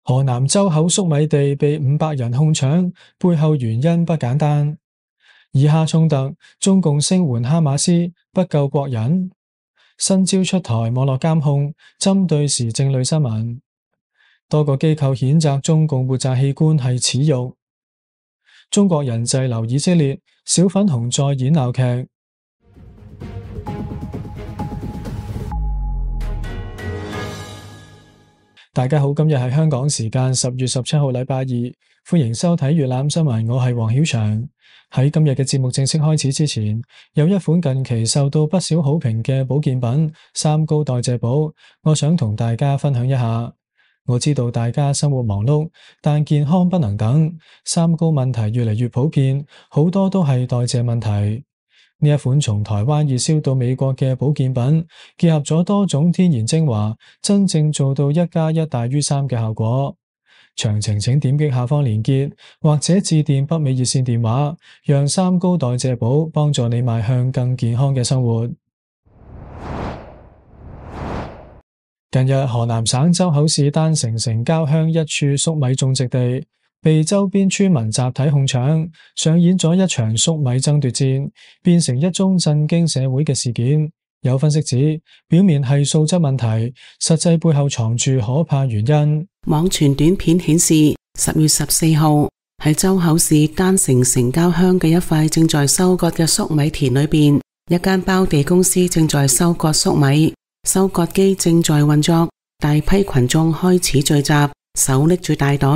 河南周口粟米地被500人控搶，背後原因不簡單。以哈衝突，中共聲援哈馬斯，不救國人。新招出台網絡監控，針對時政類新聞。多個機構譴責中共活摘器官係恥辱。中國人滯留以色列，小粉紅再演鬧劇。大家好，今日係香港時間10月17號禮拜二，歡迎收睇粵覽新聞，我係黃曉翔。喺今日嘅節目正式開始之前，有一款近期受到不少好評嘅保健品三高代謝寶，我想同大家分享一下。我知道大家生活忙碌，但健康不能等，三高問題越嚟越普遍，好多都係代謝問題。呢一款從台灣熱銷到美國嘅保健品，結合咗多種天然精華，真正做到1+1大於3嘅效果。詳情請點擊下方鏈接，或者致電北美熱線電話，讓三高代謝寶幫助你邁向更健康嘅生活。近日，河南省周口市丹城城郊鄉一處粟米種植地被周邊村民集體控搶，上演咗一場粟米爭奪戰，變成一宗震驚社會嘅事件。有分析指，表面係素質問題，實際背後藏住可怕原因。網傳短片顯示，10月14號喺周口市丹城城郊鄉嘅一塊正在收割嘅粟米田裏邊，一間包地公司正在收割粟米，收割機正在運作，大批群眾開始聚集，手拎住大袋。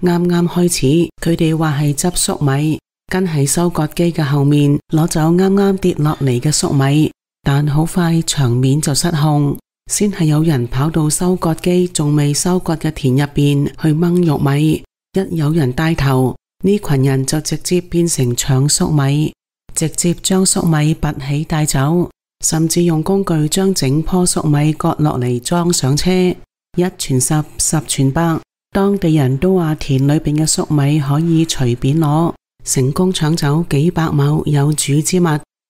啱啱開始，佢哋話係執粟米，跟喺收割機嘅後面攞走啱啱跌落嚟嘅粟米，但好快場面就失控，先係有人跑到收割機仲未收割嘅田入邊去掹玉米，一有人帶頭，呢群人就直接變成搶粟米，直接將粟米拔起帶走，甚至用工具將整棵粟米割落嚟裝上車，一傳十，十傳百。當地人都話田裏邊嘅粟米可以隨便攞，成功搶走幾百畝有主之物。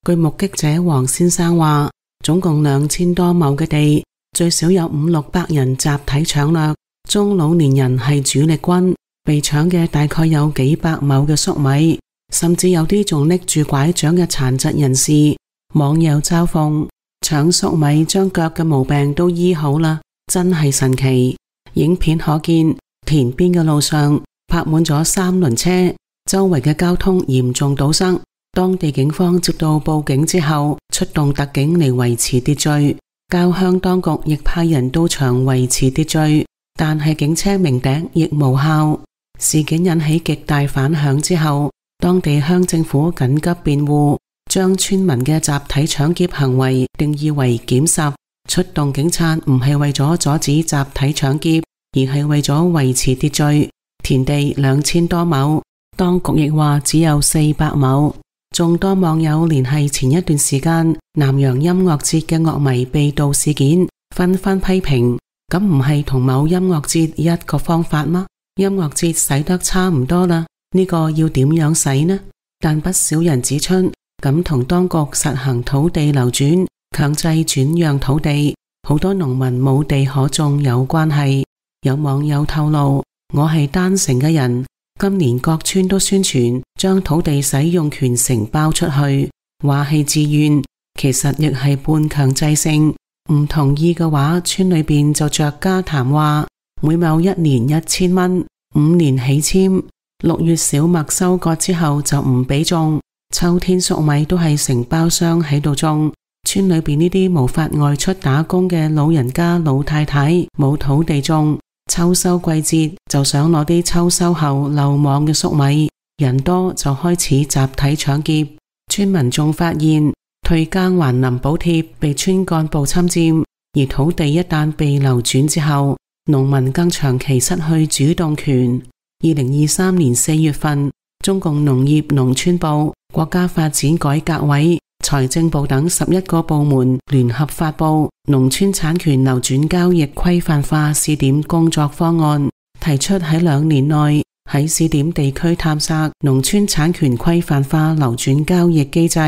據目擊者黃先生話，總共2000多畝嘅地，最少有500-600人集體搶掠，中老年人係主力軍，被搶嘅大概有幾百畝嘅粟米，甚至有啲仲拎住拐杖嘅殘疾人士。網友嘲諷，搶粟米將腳嘅毛病都醫好啦，真係神奇。影片可見，田邊嘅路上泊滿咗3輪車，周圍嘅交通嚴重堵塞。當地警方接到報警之後，出動特警嚟維持秩序。郊鄉當局亦派人到場維持秩序，但係警車鳴笛亦無效。事件引起極大反響之後，當地鄉政府緊急辯護，將村民嘅集體搶劫行為定義為檢拾，出動警察唔係為咗阻止集體搶劫，而係為咗維持秩序。田地2000多畝，當局亦話只有400畝。眾多網友聯繫前一段時間南陽音樂節嘅樂迷被盜事件，紛紛批評，咁唔係同某音樂節一個方法嗎？音樂節使得差唔多啦，呢個要點樣使呢？但不少人指出，咁同當局實行土地流轉、強制轉讓土地，好多農民冇地可種有關係。有網友透露，我係丹城嘅人，今年各村都宣傳將土地使用權承包出去，話係自願，其實亦係半強制性。唔同意嘅話，村裏邊就着家談話，每畝1年1000蚊，5年起簽。6月小麥收割之後就唔俾種，秋天粟米都係承包商喺度種。村裏邊呢啲無法外出打工嘅老人家老太太冇土地種，秋收季節就想攞啲秋收後漏網嘅粟米，人多就開始集體搶劫。村民仲發現退耕還林補貼被村幹部侵佔，而土地一旦被流轉之後，農民更長期失去主動權。2023年4月份，中共農業農村部、國家發展改革委、財政部等11個部門聯合發布農村產權流轉交易規範化試點工作方案，提出喺2年內喺試點地區探索農村產權規範化流轉交易機制，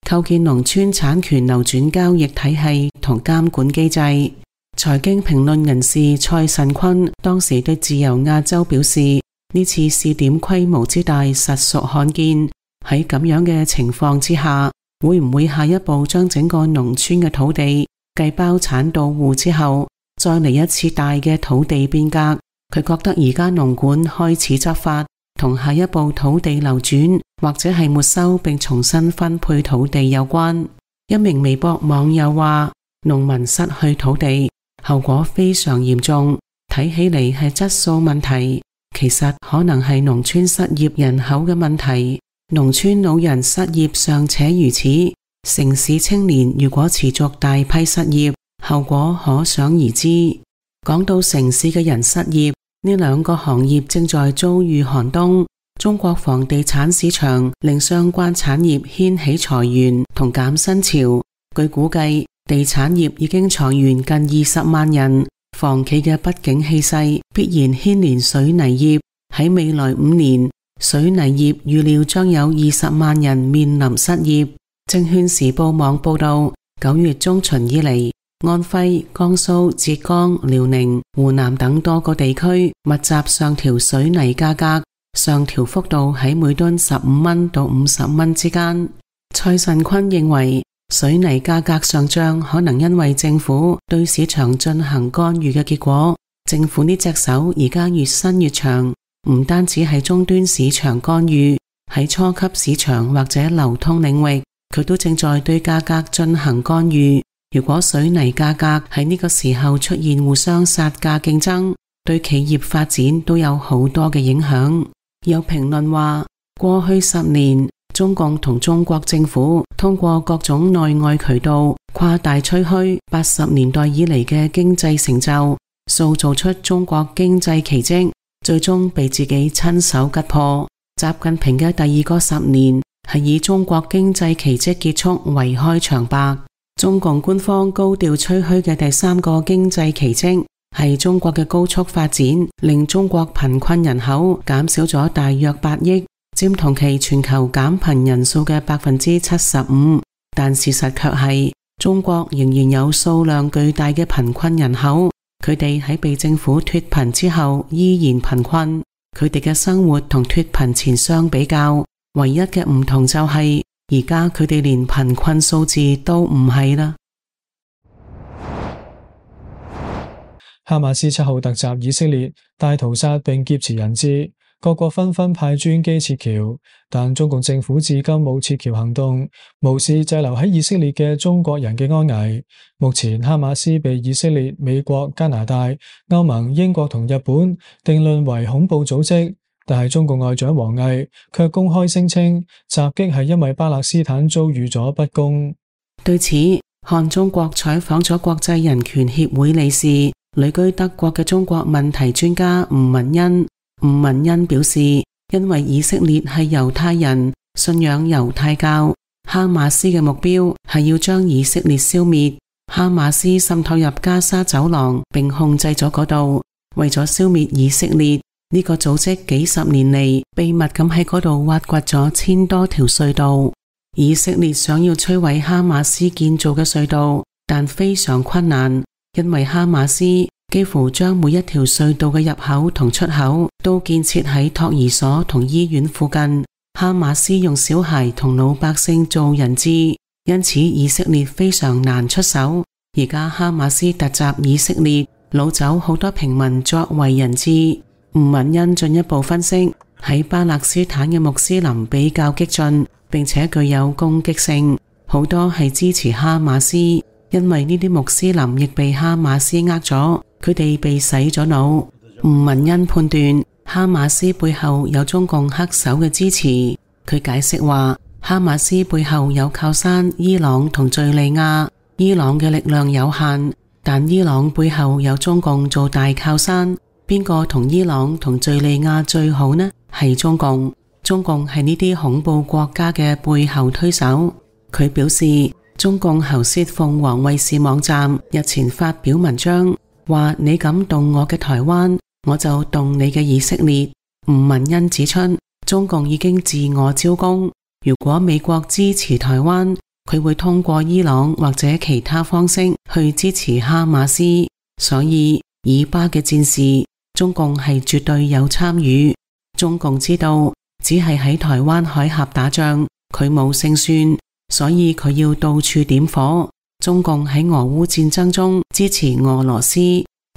構建農村產權流轉交易體系同監管機制。財經評論人士蔡慎坤當時對自由亞洲表示，呢次試點規模之大實屬罕見。喺咁樣嘅情況之下，會唔會下一步將整個農村嘅土地繼包產到戶之後，再嚟一次大嘅土地變革？佢覺得而家農管開始執法，同下一步土地流轉或者係沒收並重新分配土地有關。一名微博網友話，農民失去土地，後果非常嚴重，睇起嚟係質素問題，其實可能係農村失業人口嘅問題。農村老人失業尚且如此，城市青年如果持續大批失業，後果可想而知。講到城市嘅人失業，呢兩個行業正在遭遇寒冬。中國房地產市場令相關產業掀起裁員同減薪潮。據估計，地產業已經裁員近20萬人。房企嘅不景氣勢必然牽連水泥業。喺未來5年，水泥業預料將有20萬人面臨失業。證券時報網報道，9月中旬以嚟，安徽、江蘇、浙江、遼寧、湖南等多個地區密集上調水泥價格，上調幅度喺每噸15蚊到50蚊之間。蔡慎坤認為，水泥價格上漲可能因為政府對市場進行干預嘅結果。政府呢隻手而家越伸越長，唔單止係終端市場干預，喺初級市場或者流通領域，佢都正在對價格進行干預。如果水泥價格喺呢個時候出現互相殺價競爭，對企業發展都有好多嘅影響。有評論話，過去10年，中共同中國政府通過各種內外渠道誇大吹噓80年代以嚟嘅經濟成就，塑造出中國經濟奇蹟，最終被自己親手擊破。習近平嘅第二個10年係以中國經濟奇蹟結束為開場白。中共官方高調吹噓嘅第3個經濟奇蹟係中國嘅高速發展，令中國貧困人口減少咗大約8億，佔同期全球減貧人數嘅75%。但事實卻係，中國仍然有數量巨大嘅貧困人口，佢哋喺被政府脫貧之後依然貧困。佢哋嘅生活同脫貧前相比較，唯一嘅唔同就係，而家佢哋連貧困數字都唔係啦。哈馬斯7號突襲以色列，大屠殺並劫持人質，各國紛紛派專機撤僑，但中共政府至今冇撤僑行動，無視滯留喺以色列嘅中國人嘅安危。目前哈馬斯被以色列、美國、加拿大、歐盟、英國同日本定論為恐怖組織，但係中共外長王毅卻公開聲稱襲擊係因為巴勒斯坦遭遇咗不公。對此，漢中國採訪咗國際人權協會理事、旅居德國嘅中國問題專家吳文恩。吳文恩表示，因為以色列係猶太人，信仰猶太教，哈馬斯嘅目標係要將以色列消滅。哈馬斯滲透入加沙走廊並控制咗嗰度，為咗消滅以色列，呢個組織幾十年嚟秘密咁喺嗰度挖掘咗1000多條隧道。以色列想要摧毀哈馬斯建造嘅隧道，但非常困難，因為哈馬斯幾乎將每一條隧道嘅入口同出口都建設喺托兒所同醫院附近。哈馬斯用小孩同老百姓做人質，因此以色列非常難出手。而家哈馬斯突襲以色列，擄走好多平民作為人質。吳文恩進一步分析，喺巴勒斯坦嘅穆斯林比較激進，並且具有攻擊性，好多係支持哈馬斯，因為呢啲穆斯林亦被哈馬斯呃咗，佢哋被洗咗腦。吳文恩判斷哈馬斯背後有中共黑手嘅支持。佢解釋話，哈馬斯背後有靠山伊朗同敘利亞，伊朗嘅力量有限，但伊朗背後有中共做大靠山。邊個同伊朗同敘利亞最好呢？係中共。中共係呢啲恐怖國家嘅背後推手。佢表示，中共喉舌鳳凰衛視網站日前發表文章，話你敢動我嘅台灣，我就動你嘅以色列。吳文恩指出，中共已經自我招供，如果美國支持台灣，佢會通過伊朗或者其他方式去支持哈馬斯。所以以巴嘅戰事，中共係絕對有參與。中共知道只係喺台灣海峽打仗，佢冇勝算，所以佢要到處點火。中共喺俄烏戰爭中支持俄羅斯，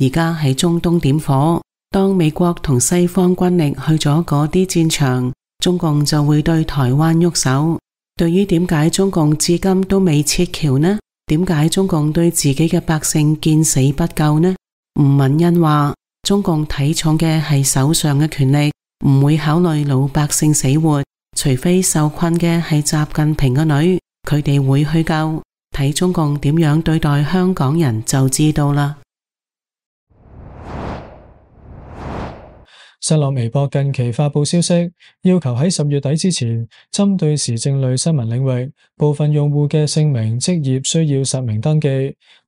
而家喺中東點火。當美國同西方軍力去咗嗰啲戰場，中共就會對台灣喐手。對於點解中共至今都未撤僑呢？點解中共對自己嘅百姓見死不救呢？吳敏恩話，中共睇重嘅係手上嘅權力，唔會考慮老百姓死活，除非受困嘅係習近平嘅女，佢哋會去救。睇中共點樣對待香港人就知道啦。新浪微博近期發佈消息，要求喺10月底之前，針對時政類新聞領域，部分用戶嘅姓名、職業需要實名登記。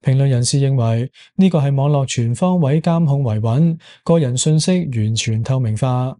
評論人士認為，呢個係網絡全方位監控維穩，個人信息完全透明化。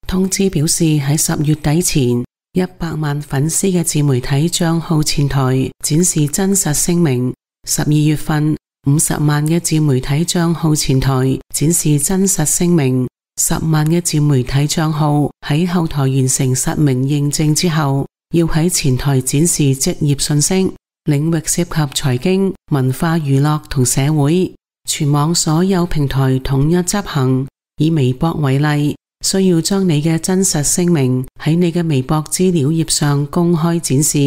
通知表示喺10月底前，100萬粉絲嘅自媒體賬號前台展示真實姓名；12月份50萬嘅自媒體賬號前台展示真實姓名；10萬嘅自媒體賬號喺後台完成實名認證之後，要喺前台展示職業信息。領域涉及財經、文化娛樂同社會，全網所有平台統一執行。以微博為例，需要將你嘅真實姓名喺你嘅微博資料頁上公開展示。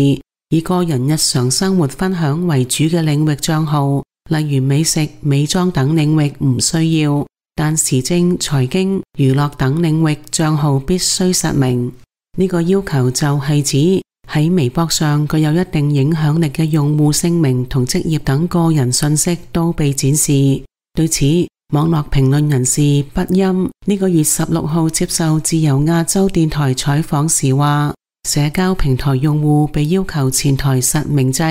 以個人日常生活分享為主嘅領域賬號，例如美食、美妝等領域唔需要，但時政、財經、娛樂等領域賬號必須實名。呢個要求就係指喺微博上具有一定影響力嘅用戶姓名同職業等個人信息都被展示。對此，網絡評論人士畢欽呢個月16號接受自由亞洲電台採訪時話，社交平台用戶被要求前台實名制，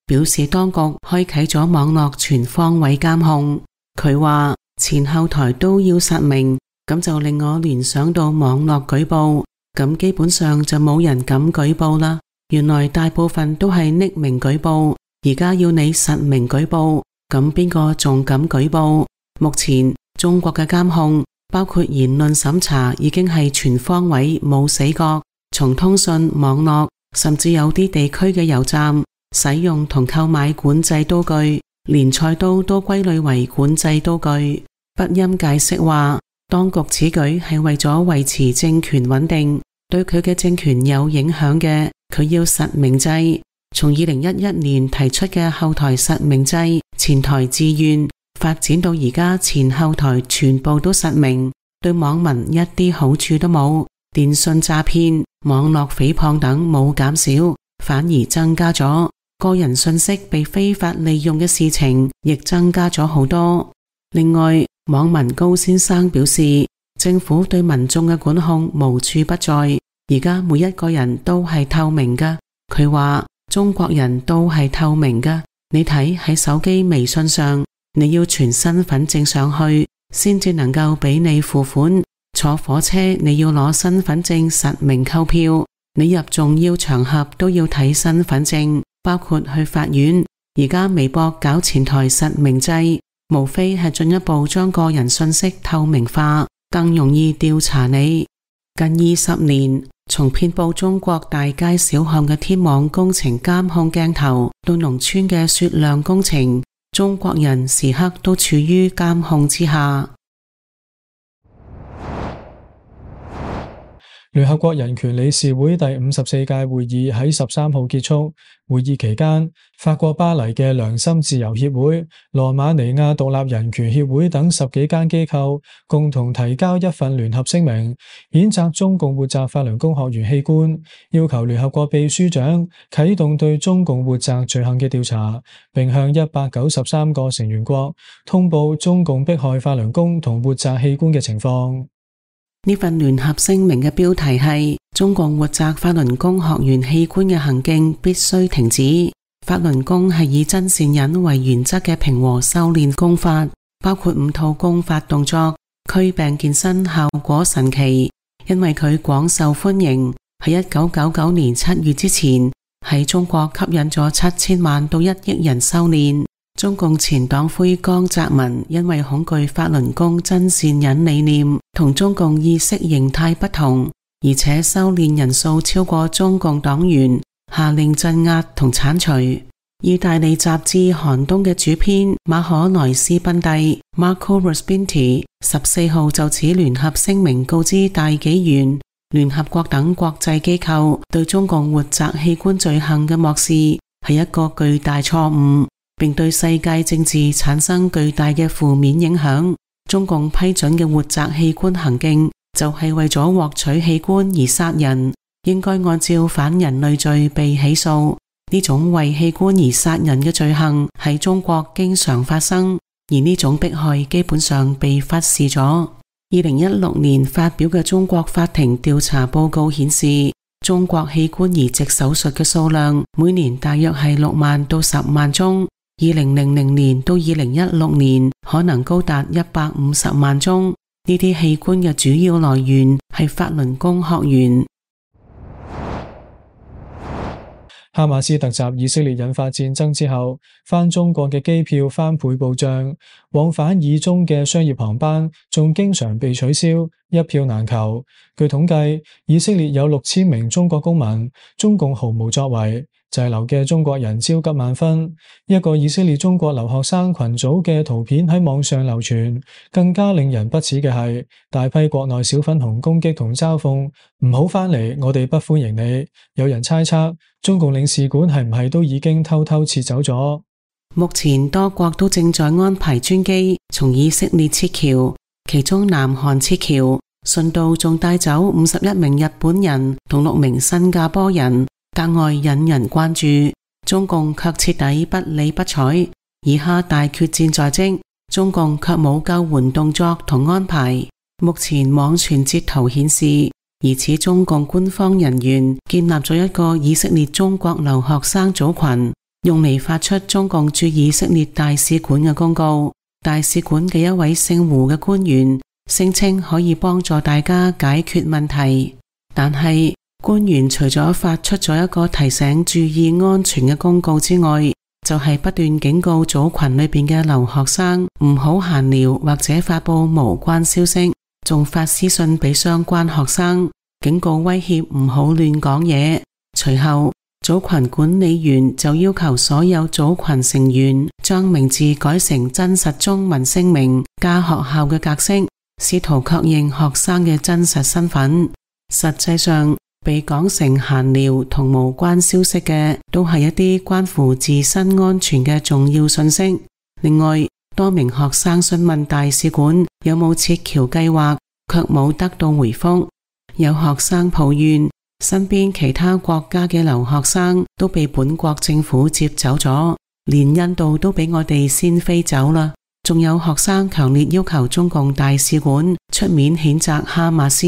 表示當局開啟咗網絡全方位監控。佢話前後台都要實名，咁就令我聯想到網絡舉報，咁基本上就冇人敢舉報啦。原來大部分都係匿名舉報，而家要你實名舉報，咁邊個仲敢舉報？目前中國嘅監控包括言論審查已經係全方位冇死角，從通訊、網絡，甚至有啲地區嘅油站使用同購買管制刀具，連菜刀都歸類為管制刀具。畢欽解釋話，當局此舉係為咗維持政權穩定，對佢嘅政權有影響嘅，佢要實名制。從2011年提出嘅後台實名制、前台自願，發展到而家前後台全部都實名，對網民一啲好處都冇。電信詐騙、網絡誹謗等冇減少，反而增加咗。個人信息被非法利用嘅事情亦增加咗好多。另外，網民高先生表示，政府對民眾嘅管控無處不在，而家每一個人都係透明㗎。佢話中國人都係透明㗎，你睇喺手機微信上，你要傳身份證上去先至能夠俾你付款，坐火車你要攞身份證實名購票，你入重要場合都要睇身份證，包括去法院。而家微博搞前台實名制，無非係進一步將個人信息透明化，更容易調查你。近20年，從遍佈中國大街小巷嘅天網工程監控鏡頭，到農村嘅雪亮工程，中國人時刻都處於監控之下。聯合國人權理事會第54屆會議喺13號結束。會議期間，法國巴黎嘅良心自由協會、羅馬尼亞獨立人權協會等10幾間機構共同提交一份聯合聲明，譴責中共活摘法輪功學員器官，要求聯合國秘書長啟動對中共活摘罪行嘅調查，並向193個成員國通報中共迫害法輪功同活摘器官嘅情況。呢份聯合聲明嘅標題係中共活摘法輪功學員器官嘅行徑必須停止。法輪功係以真善忍為原則嘅平和修煉功法，包括5套功法動作，驅病健身效果神奇，因為佢廣受歡迎。喺1999年7月之前，喺中國吸引咗7000萬到1億人修煉。中共前黨魁江澤民因為恐懼法輪功真善忍理念同中共意識形態不同，而且修煉人數超過中共黨員，下令鎮壓同剷除。意大利雜誌《寒冬》嘅主編馬可萊斯賓蒂 Marco Ruspinti 14號就此聯合聲明告知大紀元、聯合國等國際機構對中共活摘器官罪行嘅漠視係一個巨大錯誤，並對世界政治產生巨大嘅負面影響。中共批准嘅活摘器官行徑就係為咗獲取器官而殺人，應該按照反人類罪被起訴。呢種為器官而殺人嘅罪行喺中國經常發生，而呢種迫害基本上被忽視咗。2016年發表嘅中國法庭調查報告顯示，中國器官移植手術嘅數量每年大約係6萬到10萬宗，2000年到2016年可能高達150萬宗。呢啲器官嘅主要來源係法輪功學員。哈馬斯突襲以色列引發戰爭之後，返中國嘅機票翻倍暴漲，往返以中嘅商業航班仲經常被取消，一票難求。據統計，以色列有6000名中國公民，中共毫無作為，滯留嘅中國人焦急萬分。一個以色列中國留學生群組嘅圖片喺網上流傳，更加令人不齒嘅係大批國內小粉紅攻擊同嘲諷，唔好返嚟，我哋不歡迎你。有人猜測中共領事館係唔係都已經偷偷撤走咗？目前多國都正在安排專機從以色列撤僑，其中南韓撤僑，順道仲帶走51名日本人同6名新加坡人，格外引人關注。中共卻徹底不理不睬，以哈大決戰在即，中共卻冇救援動作同安排。目前網傳截圖顯示，疑似中共官方人員建立咗一個以色列中國留學生組群，用嚟發出中共駐以色列大使館嘅公告。大使館嘅一位姓胡嘅官員聲稱可以幫助大家解決問題，但係官員除咗發出咗一個提醒注意安全嘅公告之外，就係不斷警告組群裏邊嘅留學生唔好閒聊或者發佈無關消息，仲發私信俾相關學生，警告威脅唔好亂講嘢。隨後組群管理員就要求所有組群成員將名字改成真實中文姓名加學校嘅格式，試圖確認學生嘅真實身份。實際上被講成閒聊同無關消息嘅都係一啲關乎自身安全嘅重要信息。另外，多名學生詢問大使館有冇撤僑計劃，卻冇得到回覆。有學生抱怨身邊其他國家嘅留學生都被本國政府接走咗，連印度都俾我哋先飛走啦。仲有學生強烈要求中共大使館出面譴責哈馬斯，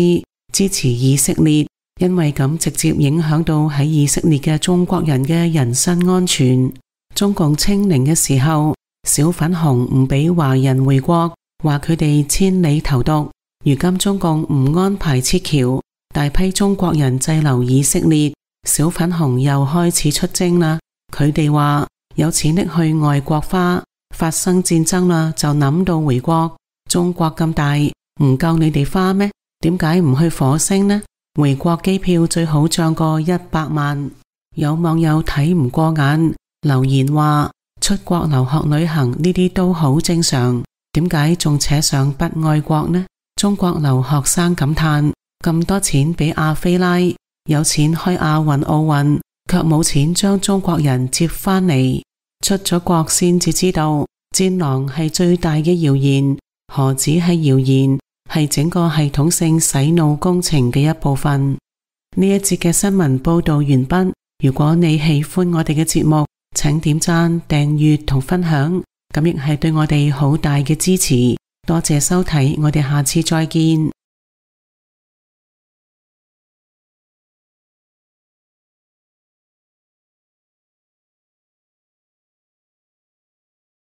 支持以色列，因為咁直接影響到喺以色列嘅中國人嘅人身安全。中共清零嘅時候，小粉紅唔俾華人回國，話佢哋千里投毒。如今中共唔安排撤僑，大批中國人滯留以色列，小粉紅又開始出征啦。佢哋話有錢拎去外國花，發生戰爭啦就諗到回國。中國咁大，唔夠你哋花咩？點解唔去火星呢？回國機票最好漲過100萬。有網友睇唔過眼，留言話出國留學旅行呢啲都好正常，點解仲扯上不愛國呢？中國留學生感嘆，咁多錢俾亞非拉，有錢開亞運奧運，卻冇錢將中國人接返嚟。出咗國先至知道，戰狼係最大嘅謠言，何止係謠言，係整個系統性洗腦工程嘅一部分。呢一節嘅新聞報道完畢。如果你喜歡我哋嘅節目，請點讚、訂閱同分享，咁亦係對我哋好大嘅支持。多謝收睇，我哋下次再見。